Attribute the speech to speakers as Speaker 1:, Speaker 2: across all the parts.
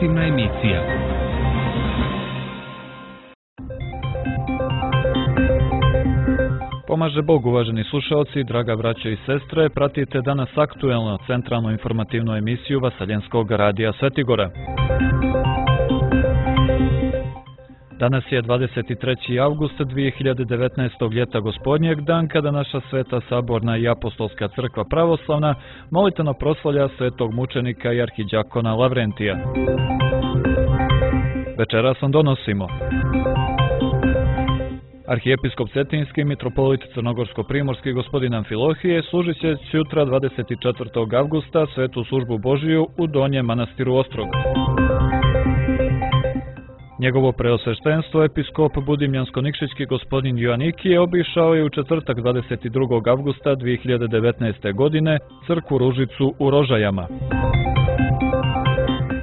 Speaker 1: informativna emisija. Pomaže Bog, uvaženi slušalci, draga braćo i sestre, pratite danas aktuelno centralnu informativnu emisiju Vaseljenskog radija Svetigora. Danas je 23. avgust 2019. ljeta gospodnjeg, dan kada naša sveta saborna i apostolska crkva pravoslavna molitveno proslavlja svetog mučenika i arhidjakona Lavrentija. Večeras vam donosimo: arhijepiskop Cetinski, mitropolit Crnogorsko-primorski gospodin Amfilohije služit će sutra 24. avgusta svetu službu Božiju u Donjem manastiru Ostrog. Njegovo preosveštenstvo, episkop Budimljansko-Nikšićki gospodin Joanikije, obišao je u četvrtak 22. avgusta 2019. godine crkvu Ružicu u Rožajama.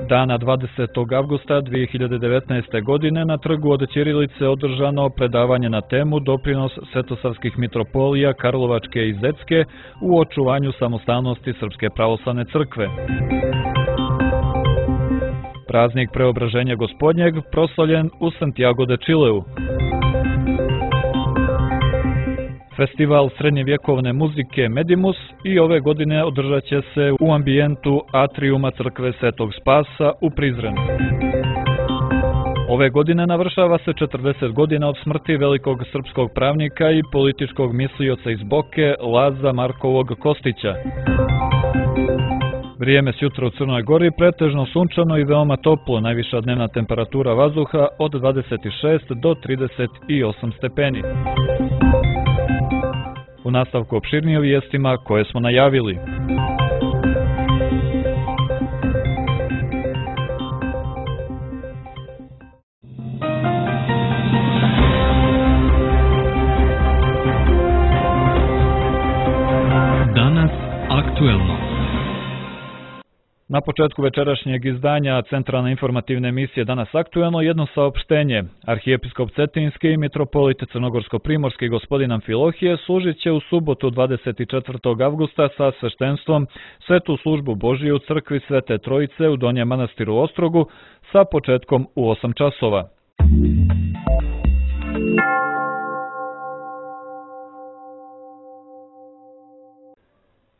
Speaker 1: Dana 20. avgusta 2019. godine na trgu od Ćirilice održano predavanje na temu doprinos svetosavskih mitropolija Karlovačke i Zecke u očuvanju samostalnosti Srpske pravoslavne crkve. Praznik preobraženja gospodnjeg proslavljen u Santiago de Chileu. Festival srednjevjekovne muzike Medimus i ove godine održat će se u ambijentu atrijuma crkve Svetog Spasa u Prizrenu. Ove godine navršava se 40 godina od smrti velikog srpskog pravnika i političkog mislioca iz Boke Laza Markovog Kostića. Vrijeme sutra u Crnoj Gori pretežno sunčano i veoma toplo, najviša dnevna temperatura vazduha od 26 do 38 stepeni. U nastavku opširnije o vijestima koje smo najavili. Danas aktuelno. Na početku večerašnjeg izdanja centralne informativne emisije Danas aktuelno jedno saopštenje. Arhijepiskop Cetinski i mitropolit Crnogorsko-primorski gospodin Amfilohije služit će u subotu 24. avgusta sa sveštenstvom svetu službu Božiju u crkvi Svete Trojice u Donjem manastiru Ostrogu sa početkom u 8 časova.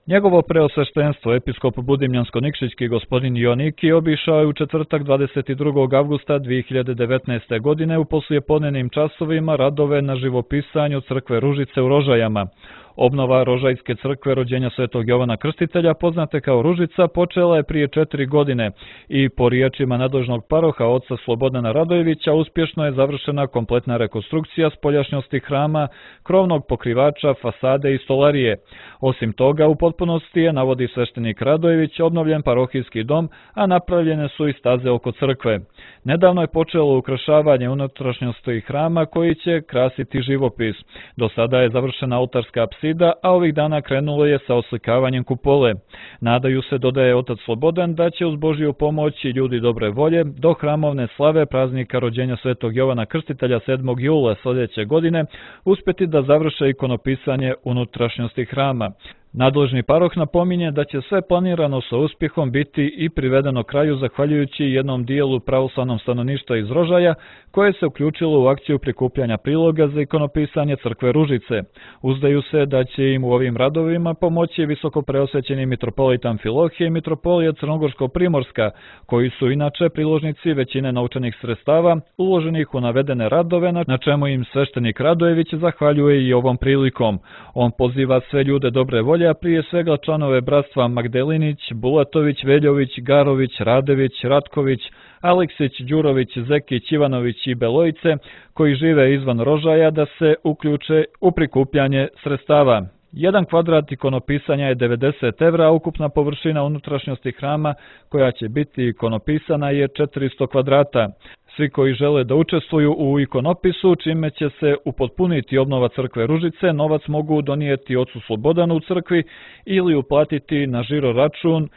Speaker 1: Njegovo preosveštenstvo, episkop Budimljansko-Nikšićki gospodin Joanikije, obišao je u četvrtak 22. avgusta 2019. godine u poslijepodnevnim časovima radove na živopisanju crkve Ružice u Rožajama. Obnova Rožajske crkve rođenja Svetog Jovana Krstitelja, poznate kao Ružica, počela je prije 4 godine i po riječima nadležnog paroha oca Slobodana Radojevića uspješno je završena kompletna rekonstrukcija spoljašnjosti hrama, krovnog pokrivača, fasade i stolarije. Osim toga, u potpunosti je, navodi sveštenik Radojević, obnovljen parohijski dom, a napravljene su i staze oko crkve. Nedavno je počelo ukrašavanje unutrašnjosti hrama koji će krasiti živopis. Do sada je završena oltarska apsida, a ovih dana krenulo je sa oslikavanjem kupole. Nadaju se, dodaje otac Slobodan, da će uz Božju pomoć i ljudi dobre volje do hramovne slave praznika rođenja Svetog Jovana Krstitelja 7. jula sljedeće godine uspjeti da završe ikonopisanje unutrašnjosti hrama. Nadležni paroh napominje da će sve planirano sa uspjehom biti i privedeno kraju zahvaljujući jednom dijelu pravoslavnom stanovništva iz Rožaja koje se uključilo u akciju prikupljanja priloga za ikonopisanje crkve Ružice. Uzdaju se da će im u ovim radovima pomoći visoko preosvećeni mitropolit Amfilohije i mitropolija Crnogorsko-primorska, koji su inače priložnici većine novčanih sredstava uloženih u navedene radove, na čemu im sveštenik Radojević zahvaljuje i ovom prilikom. On poziva sve ljude dobre volje, a prije svega članove bratstva Magdelinić, Bulatović, Veljović, Garović, Radević, Ratković, Aleksić, Đurović, Zekić, Ivanović i Belojice, koji žive izvan Rožaja, da se uključe u prikupljanje sredstava. 1 kvadrat ikonopisanja je 90 evra, a ukupna površina unutrašnjosti hrama koja će biti ikonopisana je 400 kvadrata. Svi koji žele da učestvuju u ikonopisu, čime će se upotpuniti obnova crkve Ružice, novac mogu donijeti ocu Slobodanu u crkvi ili uplatiti na žiro račun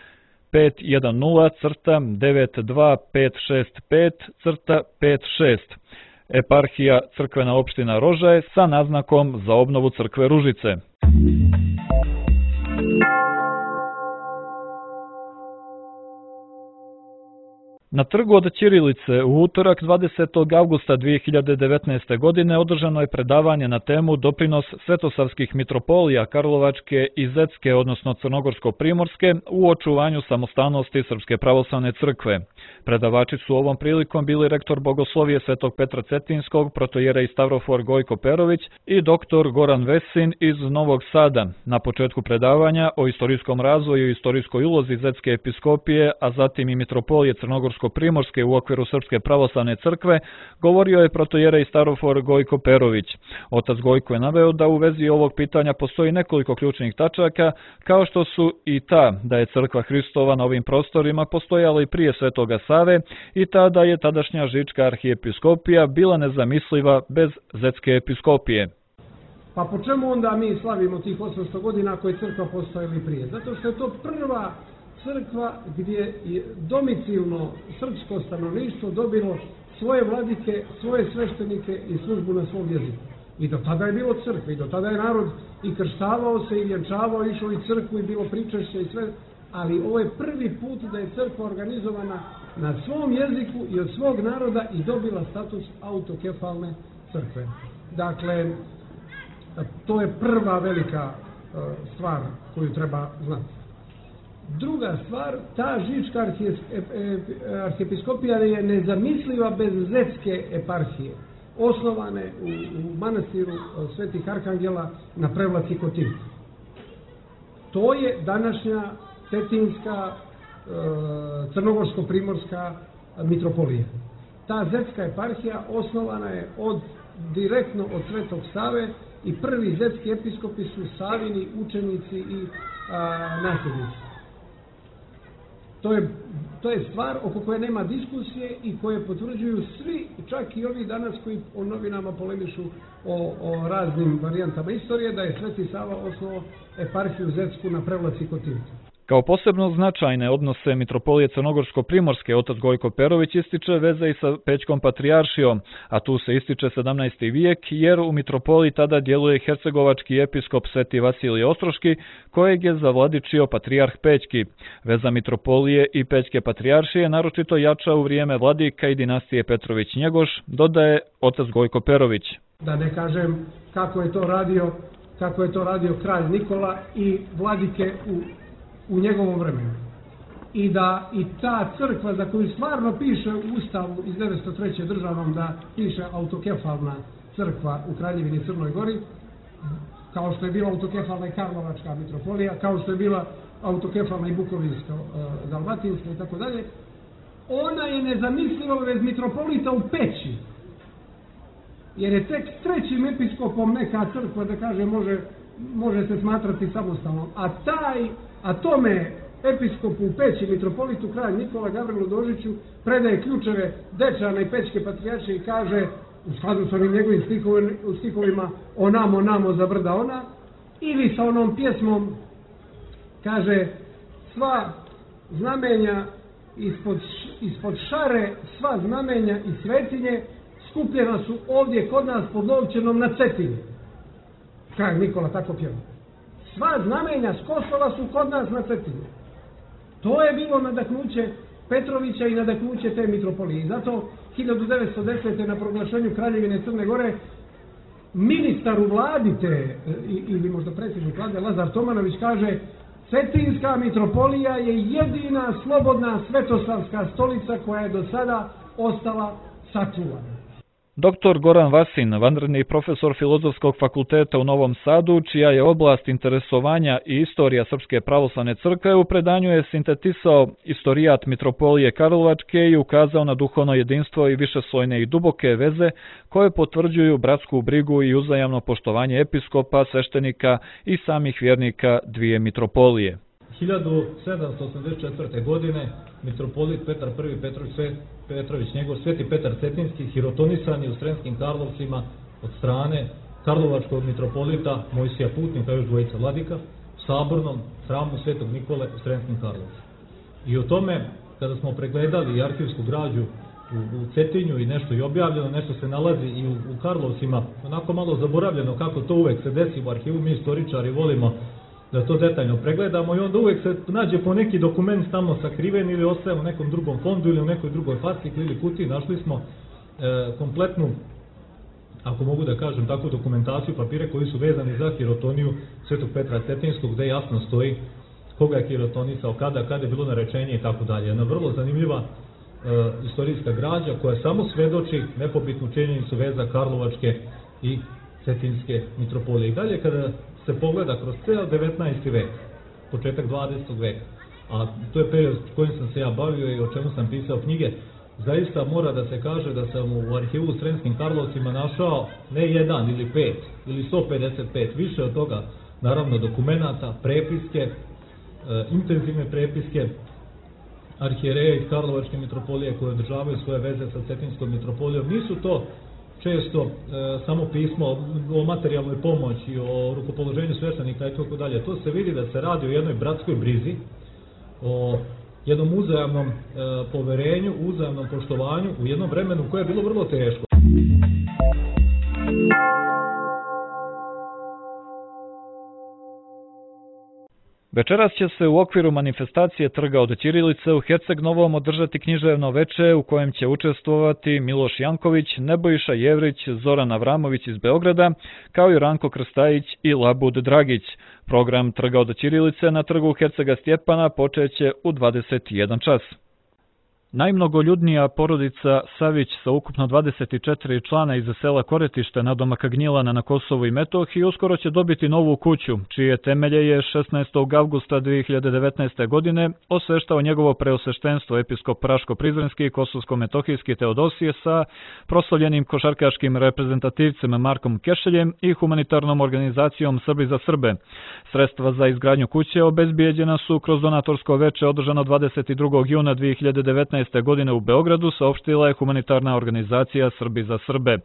Speaker 1: 510-92565-56. Eparhija crkvena opština Rožaje sa naznakom za obnovu crkve Ružice. Na trgu od Ćirilice u utorak 20. avgusta 2019. godine održano je predavanje na temu Doprinos svetosavskih mitropolija Karlovačke i Zetske, odnosno Crnogorsko-Primorske, u očuvanju samostalnosti Srpske pravoslavne crkve. Predavači su ovom prilikom bili rektor Bogoslovije Svetog Petra Cetinskog, protojerej Stavrofor Gojko Perović i doktor Goran Vesin iz Novog Sada. Na početku predavanja o istorijskom razvoju i istorijskoj ulozi Zetske episkopije, a zatim i mitropolije Crnogorsko-Primorske u okviru Srpske pravoslavne crkve, govorio je protojerej Stavrofor Gojko Perović. Otac Gojko je naveo da u vezi ovog pitanja postoji nekoliko ključnih tačaka, kao što su i ta da je crkva Hristova na ovim prostorima postojala i prije Svetoga Save i ta da je tadašnja Žička arhijepiskopija bila nezamisliva bez Zetske episkopije.
Speaker 2: Pa po čemu onda mi slavimo tih 800 godina ako je crkva postojala i prije? Zato što je to prva crkva gdje je domicilno srpsko stanovništvo dobilo svoje vladike, svoje sveštenike i službu na svom jeziku. I do tada je bilo crkve, i do tada je narod i krštavao se i vjenčavao, išao i crkvu i bilo pričešće i sve, ali ovo je prvi put da je crkva organizovana na svom jeziku i od svog naroda i dobila status autokefalne crkve. Dakle, to je prva velika stvar koju treba znati. Druga stvar, ta Žička arhijepiskopija je nezamisliva bez Zetske eparhije, osnovane u manastiru Svetih Arhangela na Prevlaci kod Timka. To je današnja Cetinska, Crnogorsko-Primorska mitropolija. Ta Zetska eparhija osnovana je direktno od Svetog Save i prvi zetski episkopi su Savini učenici i nasljednici. To je stvar oko koje nema diskusije i koje potvrđuju svi, čak i ovi danas koji o novinama polemišu o raznim varijantama istorije, da je Sveti Sava osnovao eparhiju Zetsku na Prevlaci kod Timka.
Speaker 1: Kao posebno značajne odnose mitropolije Crnogorsko-Primorske otac Gojko Perović ističe veze i sa Pećkom patrijaršijom, a tu se ističe 17. vijek jer u mitropoliji tada djeluje hercegovački episkop Sveti Vasilije Ostroški, kojeg je zavladičio patrijarh Pećki. Veza mitropolije i Pećke patrijaršije naročito jača u vrijeme vladika i dinastije Petrović-Njegoš, dodaje otac Gojko Perović.
Speaker 2: Da ne kažem kako je to radio kralj Nikola i vladike u njegovom vremenu. I ta crkva za koju stvarno piše u Ustavu iz 903. državnom da piše autokefalna crkva u Kraljevini Crnoj Gori, kao što je bila autokefalna i Karlovačka mitropolija, kao što je bila autokefalna i Bukovinska, Dalmatinska i tako dalje, ona je nezamisliva bez mitropolita u Peći. Jer je tek s trećim episkopom neka crkva, da kaže, može se smatrati samostalnom. A tome episkopu u Peći, mitropolitu kralj Nikola Gavrilu Dožiću, predaje ključeve Dečana i Pećke patrijaršije i kaže, u skladu sa onim njegovim stihovima, onamo za brda ona, ili sa onom pjesmom, kaže, sva znamenja ispod šare, sva znamenja i svetinje skupljena su ovdje kod nas pod Lovćenom na Cetinju. Kralj Nikola tako pjeva. Sva znamenja s Kosova su kod nas na Cetinju. To je bilo nadahnuće Petrovića i nadahnuće te mitropolije. I zato 1910. na proglašenju Kraljevine Crne Gore ministar u vladi ili možda predsjednik vlade Lazar Tomanović kaže: Cetinska mitropolija je jedina slobodna svetosavska stolica koja je do sada ostala sačuvana.
Speaker 1: Dr. Goran Vasin, vanredni profesor Filozofskog fakulteta u Novom Sadu, čija je oblast interesovanja i istorija Srpske pravoslavne crkve, u predanju je sintetisao istorijat mitropolije Karlovačke i ukazao na duhovno jedinstvo i višeslojne i duboke veze koje potvrđuju bratsku brigu i uzajamno poštovanje episkopa, sveštenika i samih vjernika dvije mitropolije.
Speaker 3: 1784. godine mitropolit Petar I. Petrović, njegov Sveti Petar Cetinski, hirotonisan je u Sremskim Karlovcima od strane karlovačkog mitropolita Mojsija Putnika, još dvojica vladika, u sabornom hramu Svetog Nikole u Sremskim Karlovcima. I o tome, kada smo pregledali arhivsku građu u Cetinju i nešto je objavljeno, nešto se nalazi i u Karlovcima, onako malo zaboravljeno kako to uvek se desi u arhivu, mi istoričari volimo da to detaljno pregledamo i onda uvijek se nađe po neki dokument tamo sakriven ili ostaje u nekom drugom fondu ili u nekoj drugoj fascikli ili kutiji. Našli smo kompletnu, ako mogu da kažem, takvu dokumentaciju, papire koji su vezani za hirotoniju Svetog Petra Cetinskog, gde jasno stoji koga je hirotonisao, kada je bilo narečenje i tako dalje. Jedna vrlo zanimljiva istorijska građa koja samo svedoči nepobitnu činjenicu veza Karlovačke i Cetinske mitropolije. I dalje kada se pogleda kroz ceo 19. vek, početak 20. veka, a to je period kojim sam se ja bavio i o čemu sam pisao knjige, zaista mora da se kaže da sam u arhivu u Sremskim Karlovcima našao ne jedan ili 5 ili 155, više od toga, naravno, dokumenata, prepiske, intenzivne prepiske arhijereja iz Karlovačke mitropolije koje održavaju svoje veze sa Cetinskom mitropolijom. Nisu to često samo pismo o materijalnoj pomoći, o rukopoloženju sveštenika i tako dalje. To se vidi da se radi o jednoj bratskoj brizi, o jednom uzajamnom poverenju, uzajamnom poštovanju u jednom vremenu koje je bilo vrlo teško.
Speaker 1: Večeras će se u okviru manifestacije Trga od ćirilice u Herceg Novom održati književno veče u kojem će učestvovati Miloš Janković, Nebojša Jevrić, Zoran Avramović iz Beograda, kao i Ranko Krstajić i Labud Dragić. Program Trga od ćirilice na trgu Hercega Stjepana počeće u 21 čas. Najmnogoljudnija porodica Savić sa ukupno 24 člana iz sela Koretište nadomak Gnjilana na Kosovu i Metohiji uskoro će dobiti novu kuću, čije temelje je 16. avgusta 2019. godine osveštao njegovo preosveštenstvo episkop Raško-Prizrenski i Kosovsko-Metohijski Teodosije sa proslavljenim košarkaškim reprezentativcem Markom Kešeljem i humanitarnom organizacijom Srbi za Srbe. Sredstva za izgradnju kuće obezbijeđena su kroz donatorsko veče održano 22. juna 2019. godine u Beogradu, saopštila je humanitarna organizacija Srbi za Srbe.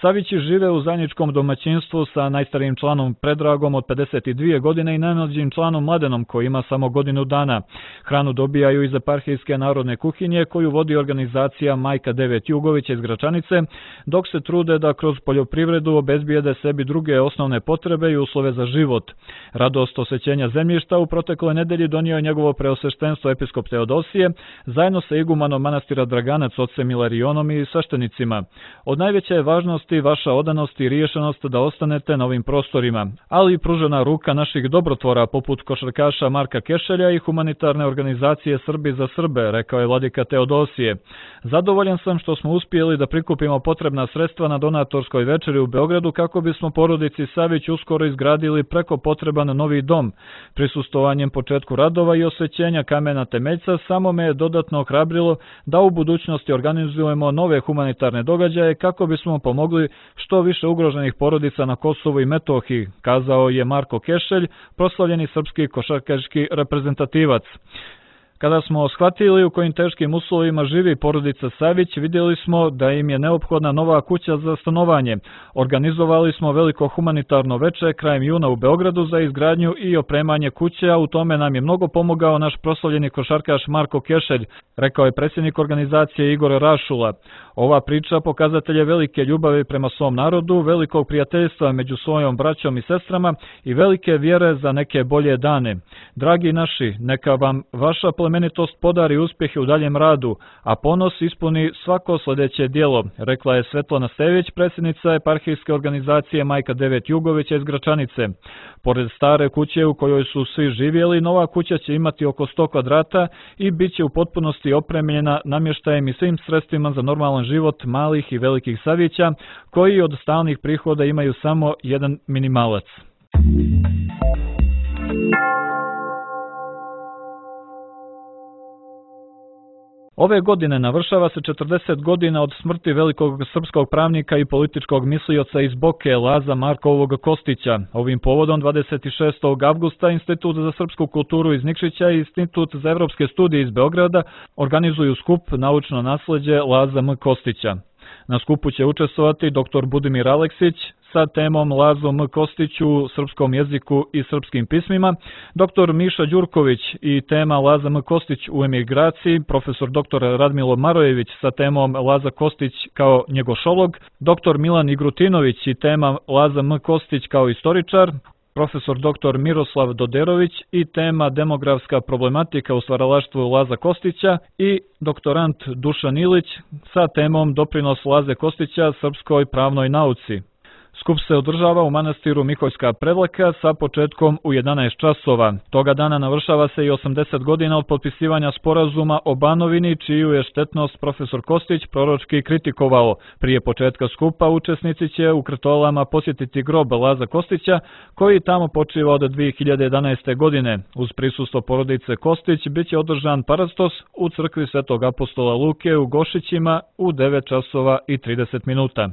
Speaker 1: Savići žive u zajedničkom domaćinstvu sa najstarijim članom Predragom od 52 godine i najmlađim članom Mladenom koji ima samo godinu dana. Hranu dobijaju iz eparhijske narodne kuhinje koju vodi organizacija Majka Devet Jugović iz Gračanice, dok se trude da kroz poljoprivredu obezbijede sebi druge osnovne potrebe i uslove za život. Radost osvećenja zemljišta u protekloj nedelji donio je njegovo preosveštenstvo episkop Teodosije zajedno sa igumanom manastira Draganac ocem Ilarionom i sveštenicima. Od najveće je važnosti vaša odanost i riješenost da ostanete na ovim prostorima, ali i pružena ruka naših dobrotvora poput košarkaša Marka Kešelja i humanitarne organizacije Srbi za Srbe, rekao je vladika Teodosije. Zadovoljan sam što smo uspjeli da prikupimo potrebna sredstva na donatorskoj večeri u Beogradu kako bismo porodici Savić uskoro izgradili preko potreban novi dom. Prisustvovanjem početku radova i osvećenja kamena temeljca samo me je dodatno ohrabrilo da u budućnosti organizujemo nove humanitarne događaje kako bismo pomogli što više ugroženih porodica na Kosovu i Metohiji, kazao je Marko Kešelj, proslavljeni srpski košarkaški reprezentativac. Kada smo shvatili u kojim teškim uslovima živi porodica Savić, vidjeli smo da im je neophodna nova kuća za stanovanje. Organizovali smo veliko humanitarno veče krajem juna u Beogradu za izgradnju i opremanje kuće, a u tome nam je mnogo pomogao naš proslavljeni košarkaš Marko Kešelj, rekao je predsjednik organizacije Igor Rašula. Ova priča pokazatelj je velike ljubavi prema svom narodu, velikog prijateljstva među svojom braćom i sestrama i velike vjere za neke bolje dane. Dragi naši, neka vam vaša plemenitost podari uspjehe u daljem radu, a ponos ispuni svako sljedeće djelo, rekla je Svetlana Stević, predsjednica eparhijske organizacije Majka Devet Jugovića iz Gračanice. Pored stare kuće u kojoj su svi živjeli, nova kuća će imati oko 100 kvadrata i bit će u potpunosti opremljena namještajem i svim sredstvima za normalan život malih i velikih Savića, koji od stalnih prihoda imaju samo jedan minimalac. Ove godine navršava se 40 godina od smrti velikog srpskog pravnika i političkog mislioca iz Boke Laza Markovog Kostića. Ovim povodom 26. avgusta Institut za srpsku kulturu iz Nikšića i Institut za evropske studije iz Beograda organizuju skup Naučno nasleđe Laza M. Kostića. Na skupu će učestvovati dr. Budimir Aleksić sa temom Lazo M. Kostić u srpskom jeziku i srpskim pismima, dr. Miša Đurković i tema Laza M. Kostić u emigraciji, profesor dr. Radmilo Marojević sa temom Laza Kostić kao njegošolog, dr. Milan Igrutinović i tema Laza M. Kostić kao istoričar, profesor dr. Miroslav Doderović i tema demografska problematika u stvaralaštvu Laza Kostića i doktorant Dušan Ilić sa temom doprinos Laze Kostića srpskoj pravnoj nauci. Skup se održava u manastiru Miholjska Prevlaka sa početkom u 11 časova. Toga dana navršava se i 80 godina od potpisivanja sporazuma o Banovini, čiju je štetnost profesor Kostić proročki kritikovao. Prije početka skupa učesnici će u Krtolama posjetiti grob Laza Kostića, koji tamo počiva od 2011. godine. Uz prisustvo porodice Kostić biće održan parastos u crkvi Svetog apostola Luke u Gošićima u 9 časova i 30 minuta.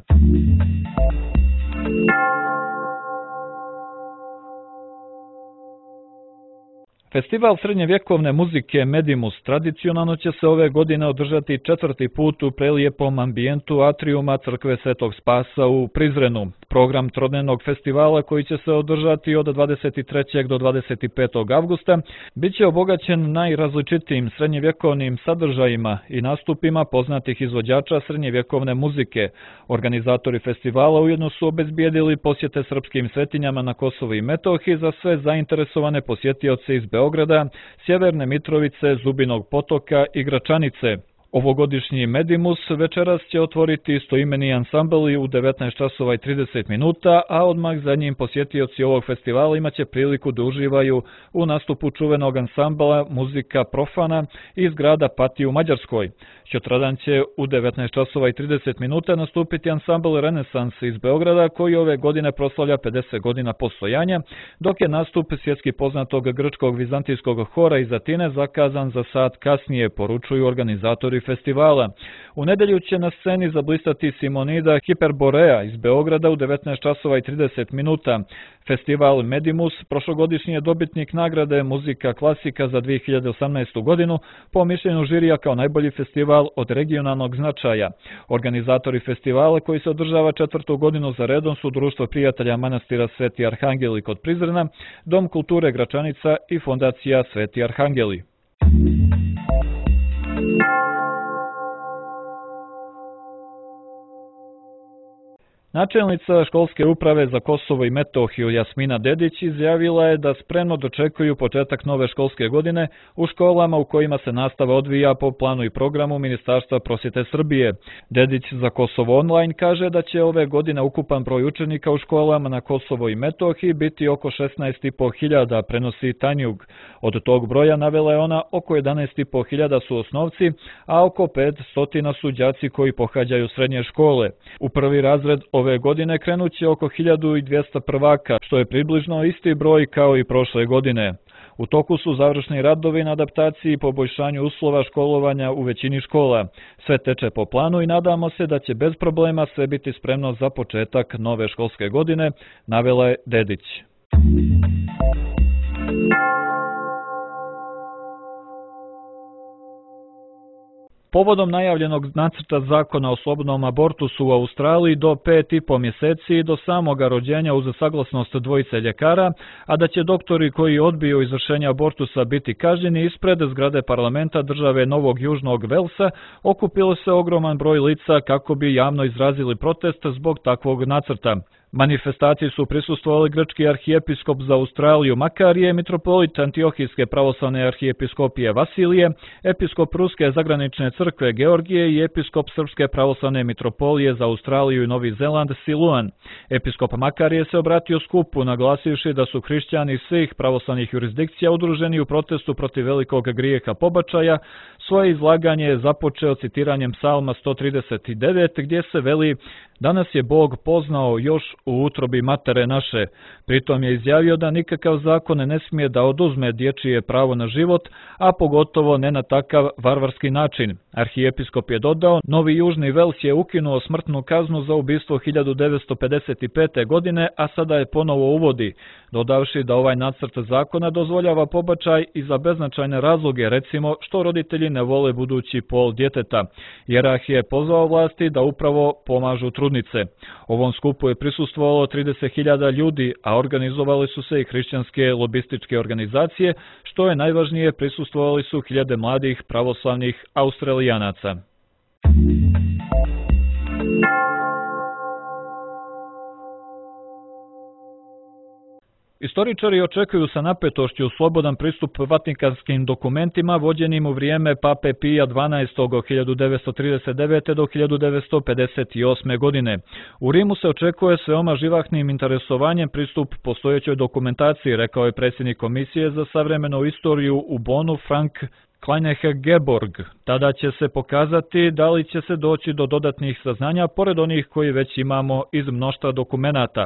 Speaker 1: Festival srednjevjekovne muzike Medimus tradicionalno će se ove godine održati 4. put u prelijepom ambijentu atrijuma crkve Svetog Spasa u Prizrenu. Program trodnevnog festivala, koji će se održati od 23. do 25. avgusta, bit će obogaćen najrazličitijim srednjevjekovnim sadržajima i nastupima poznatih izvođača srednjevjekovne muzike. Organizatori festivala ujedno su obezbijedili posjete srpskim svetinjama na Kosovu i Metohiji za sve zainteresovane posjetioce iz Beograda, Sjeverne Mitrovice, Zubinog Potoka i Gračanice. Ovogodišnji Medimus večeras će otvoriti istoimeni ansambl u 19 časova i 30 minuta, a odmah za njim posjetioci ovog festivala imaće priliku da uživaju u nastupu čuvenog ansambla Muzika Profana iz grada Pati u Mađarskoj. Sutradan će u 19 časova i 30 minuta nastupiti ansambl Renesans iz Beograda, koji ove godine proslavlja 50 godina postojanja, dok je nastup svjetski poznatog grčkog vizantijskog hora iz Atine zakazan za sat kasnije, poručuju organizatori festivala. U nedelju će na sceni zablistati Simonida Hiperborea iz Beograda u 19 časova i 30 minuta. Festival Medimus prošlogodišnji je dobitnik nagrade Muzika klasika za 2018. godinu, po mišljenju žirija kao najbolji festival od regionalnog značaja. Organizatori festivala, koji se održava 4. godinu za redom, su Društvo prijatelja manastira Sveti Arhangeli kod Prizrena, Dom kulture Gračanica i Fondacija Sveti Arhangeli. Načelnica školske uprave za Kosovo i Metohiju Jasmina Dedić izjavila je da spremno dočekuju početak nove školske godine u školama u kojima se nastava odvija po planu i programu Ministarstva prosvjete Srbije. Dedić za Kosovo online kaže da će ove godine ukupan broj učenika u školama na Kosovo i Metohiji biti oko 16.500, prenosi Tanjug. Od tog broja, navela je ona, oko 11.500 su osnovci, a oko 500 su đaci koji pohađaju srednje škole. U prvi razred ove godine krenut će oko 1200 prvaka, što je približno isti broj kao i prošle godine. U toku su završni radovi na adaptaciji i poboljšanju uslova školovanja u većini škola. Sve teče po planu i nadamo se da će bez problema sve biti spremno za početak nove školske godine, navela je Dedić. Povodom najavljenog nacrta zakona o slobodnom abortusu u Australiji do 5,5 mjeseci do samoga rođenja uz saglasnost dvojice ljekara, a da će doktori koji odbiju izvršenje abortusa biti kažnjeni, ispred zgrade parlamenta države Novog Južnog Velsa okupilo se ogroman broj lica kako bi javno izrazili protest zbog takvog nacrta. Manifestaciji su prisustvovali grčki arhijepiskop za Australiju Makarije, mitropolit Antiohijske pravoslavne arhijepiskopije Vasilije, episkop Ruske zagranične crkve Georgije i episkop Srpske pravoslavne mitropolije za Australiju i Novi Zeland Siluan. Episkop Makarije se obratio skupu, naglasivši da su hrišćani svih pravoslavnih jurisdikcija udruženi u protestu protiv velikog grijeha pobačaja. Svoje izlaganje je započeo citiranjem Psalma 139, gdje se veli: "Danas je Bog poznao još u utrobi matere naše." Pritom je izjavio da nikakav zakon ne smije da oduzme dječije pravo na život, a pogotovo ne na takav varvarski način. Arhijepiskop je dodao: "Novi Južni Vels je ukinuo smrtnu kaznu za ubistvo 1955. godine, a sada je ponovo uvodi", dodavši da ovaj nacrt zakona dozvoljava pobačaj i za beznačajne razloge, recimo što roditelji ne vole budući pol djeteta. Jerah je pozvao vlasti da upravo pomažu trudnice. Ovom skupu je prisustvovalo 30.000 ljudi, a organizovali su se i hrišćanske lobističke organizacije, što je najvažnije, prisustvovali su hiljade mladih pravoslavnih Australijanaca. Istoričari očekuju sa napetošću slobodan pristup vatikanskim dokumentima vođenim u vrijeme Pape Pija XII. Od 1939. do 1958. godine. U Rimu se očekuje s veoma živahnim interesovanjem pristup postojećoj dokumentaciji, rekao je predsjednik Komisije za savremenu istoriju u Bonu Frank Kleinehe-Geborg. Tada će se pokazati da li će se doći do dodatnih saznanja pored onih koji već imamo iz mnoštva dokumenata.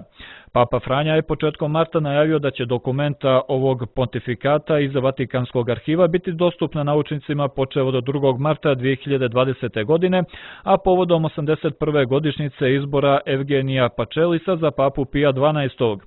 Speaker 1: Papa Franja je početkom marta najavio da će dokumenta ovog pontifikata iz Vatikanskog arhiva biti dostupna naučnicima počev od 2. marta 2020. godine, a povodom 81. godišnjice izbora Evgenija Pačelisa za papu Pija XII.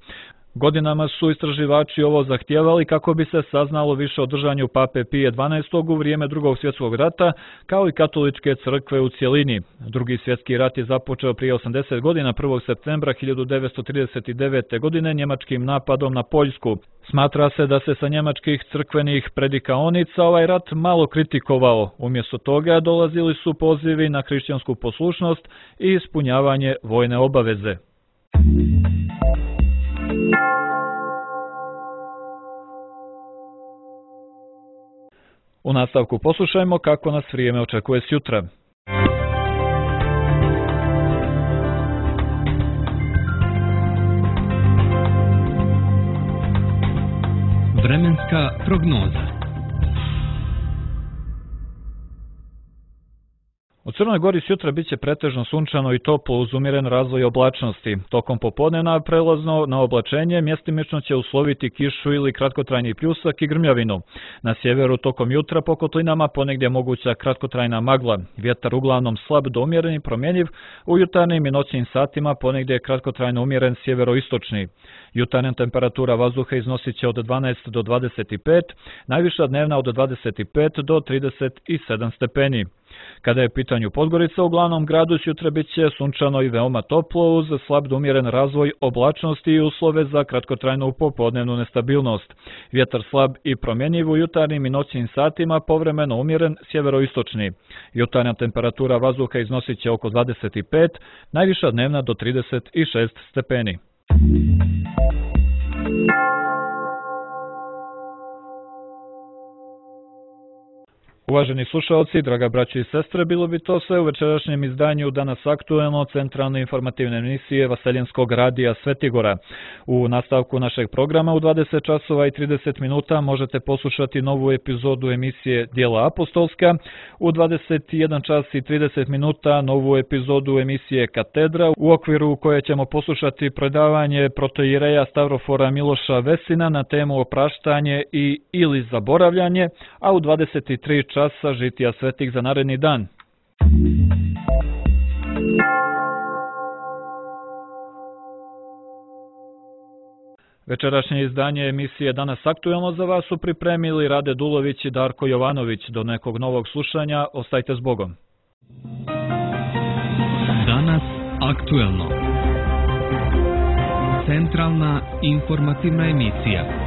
Speaker 1: Godinama su istraživači ovo zahtijevali kako bi se saznalo više o držanju Pape Pije XII. U vrijeme Drugog svjetskog rata, kao i katoličke crkve u cjelini. Drugi svjetski rat je započeo prije 80 godina 1. septembra 1939. godine njemačkim napadom na Poljsku. Smatra se da se sa njemačkih crkvenih predikaonica ovaj rat malo kritikovao. Umjesto toga dolazili su pozivi na hrišćansku poslušnost i ispunjavanje vojne obaveze. U nastavku poslušajmo kako nas vrijeme očekuje sjutra.
Speaker 4: Vremenska prognoza.
Speaker 1: U Crnoj Gori sjutra bit će pretežno sunčano i toplo uz umjeren razvoj oblačnosti. Tokom popodneva prelazno na oblačenje mjestimično će usloviti kišu ili kratkotrajni pljusak i grmljavinu. Na sjeveru tokom jutra po kotlinama ponegdje moguća kratkotrajna magla. Vjetar uglavnom slab do umjeren i promjenjiv, u jutarnjim i noćnim satima ponegdje kratkotrajno umjeren sjeveroistočni. Jutarnja temperatura vazduha iznosit će od 12 do 25, najviša dnevna od 25 do 37 stepeni. Kada je u pitanju Podgorica, u glavnom gradu sutra bit će sunčano i veoma toplo uz slab do umjeren razvoj oblačnosti i uslove za kratkotrajnu popodnevnu nestabilnost. Vjetar slab i promjenjiv u jutarnjim i noćnim satima, povremeno umjeren sjeveroistočni. Jutarnja temperatura vazduha iznosit će oko 25, najviša dnevna do 36 stepeni. Uvaženi slušalci, draga braćo i sestre, bilo bi to sve u večerašnjem izdanju Danas aktuelno centralne informativne emisije Vaseljenskog radija Svetigora. U nastavku našeg programa u 20 časova i 30 minuta možete poslušati novu epizodu emisije Djela apostolska, u 21 čas i 30 minuta novu epizodu emisije Katedra, u okviru koje ćemo poslušati predavanje protoijereja Stavrofora Miloša Vesina na temu opraštanje i ili zaboravljanje, a u 23 časa žitija svetih za naredni dan. Večerašnje izdanje emisije Danas aktuelno za vas su pripremili Rade Dulović i Darko Jovanović. Do nekog novog slušanja, ostajte s Bogom.
Speaker 4: Danas aktuelno. Centralna informativna emisija.